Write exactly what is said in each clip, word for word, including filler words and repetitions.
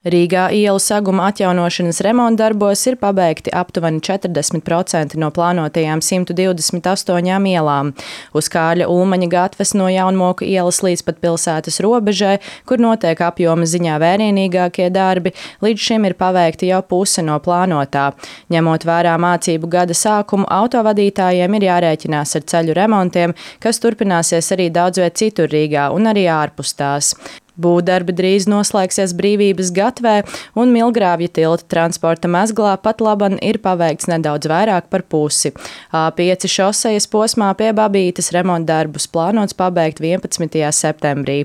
Rīgā ielu saguma atjaunošanas remontdarbos ir pabeigti aptuveni četrdesmit procenti no plānotajām simt divdesmit astoņām ielām. Uz Kārļa Ulmaņa gatves no Jaunmoku ielas līdz pat pilsētas robežai, kur notiek apjoma ziņā vērienīgākie darbi, līdz šim ir paveikti jau puse no plānotā. Ņemot vērā mācību gada sākumu, autovadītājiem ir jārēķinās ar ceļu remontiem, kas turpināsies arī daudzviet citur Rīgā un arī ārpus tās. Būvdarbi drīz noslēgsies Brīvības gatvē, un Milgrāvja tilta transporta mezglā pat laban ir paveikts nedaudz vairāk par pusi. A pieci šosejas posmā pie Babītes remontdarbus plānots pabeigt vienpadsmitajā septembrī.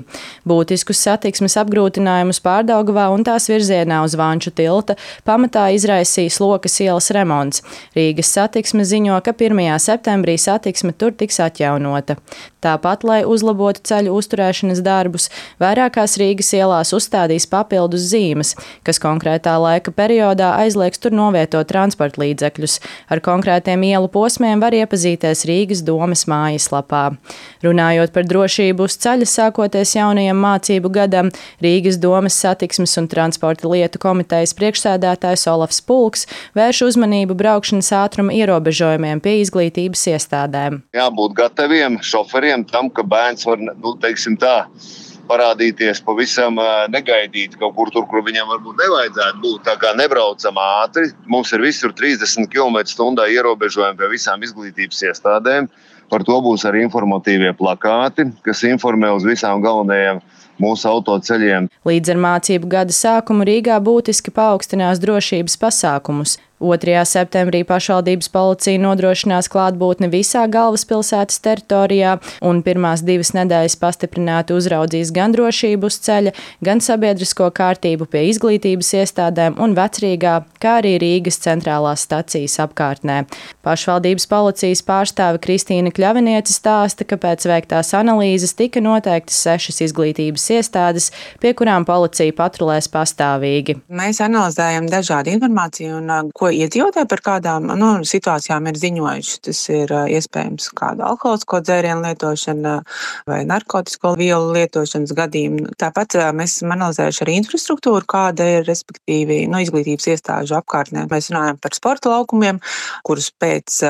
Būtiskus satiksmes apgrūtinājumus Pārdaugavā un tās virzienā uz Vanču tilta pamatā izraisīs Lokas ielas remonts. Rīgas satiksme ziņo, ka pirmajā septembrī satiksme tur tiks atjaunota. Tāpat, lai uzlabotu ceļu uzturēšanas darbus, vairākās Rīgas ielās uzstādīs papildus zīmes, kas konkrētā laika periodā aizliegs tur novietot transporta līdzekļus. Ar konkrētiem ielu posmiem var iepazīties Rīgas domes mājaslapā. Runājot par drošību uz ceļa sākoties jaunajam mācību gadam, Rīgas domes satiksmes un transporta lietu komitejas priekšsēdētājs Olafs Pulks vērš uzmanību braukšanas ātruma ierobežojumiem pie izglītības iestādēm. Jābūt gataviem šoferiem tam, ka bērns var, nu, teiksim tā, parādīties pavisam negaidīt kaut kur tur, kur viņam varbūt nevajadzētu būt. Tā kā nebraucam ātri, mums ir visur trīsdesmit kilometru stundā ierobežojumi pie visām izglītības iestādēm. Par to būs arī informatīvie plakāti, kas informē uz visām galvenajām mūsu autoceļiem. Līdz ar mācību gada sākumu Rīgā būtiski paaugstinās drošības pasākumus. otrajā septembrī pašvaldības policija nodrošinās klātbūtni visā galvaspilsētas teritorijā un pirmās divas nedēļas pastiprināti uzraudzīs gan drošību uz ceļa, gan sabiedrisko kārtību pie izglītības iestādēm un Vecrīgā, kā arī Rīgas centrālās stacijas apkārtnē. Pašvaldības policijas pārstāve Kristīna Kļaviniece stāsta, ka pēc veiktās analīzes tika noteiktas sešas izglītības iestādes, pie kurām policija patrulēs pastāvīgi. Mēs analizējam dažādu informāciju un ko iedzīvotāji par kādām nu, situācijām ir ziņojuši. Tas ir iespējams kāda alkoholisko dzērienu lietošana vai narkotisko vielu lietošanas gadījumi. Tāpat mēs esam analizējuši arī infrastruktūru, kāda ir respektīvi no izglītības iestāžu apkārtnē. Mēs runājam par sporta laukumiem, kurus pēc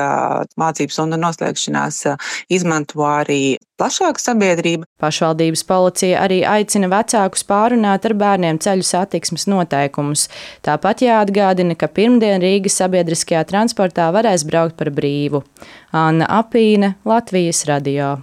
mācības stundu noslēgšanās izmanto arī plašāka sabiedrība. Pašvaldības policija arī aicina vecākus pārunāt ar bērniem ceļu satiksmes noteikumus. Tāpat jāatgādina, ka pirmdien Rīgas sabiedriskajā transportā varēs braukt par brīvu. Anna Apīne, Latvijas radio.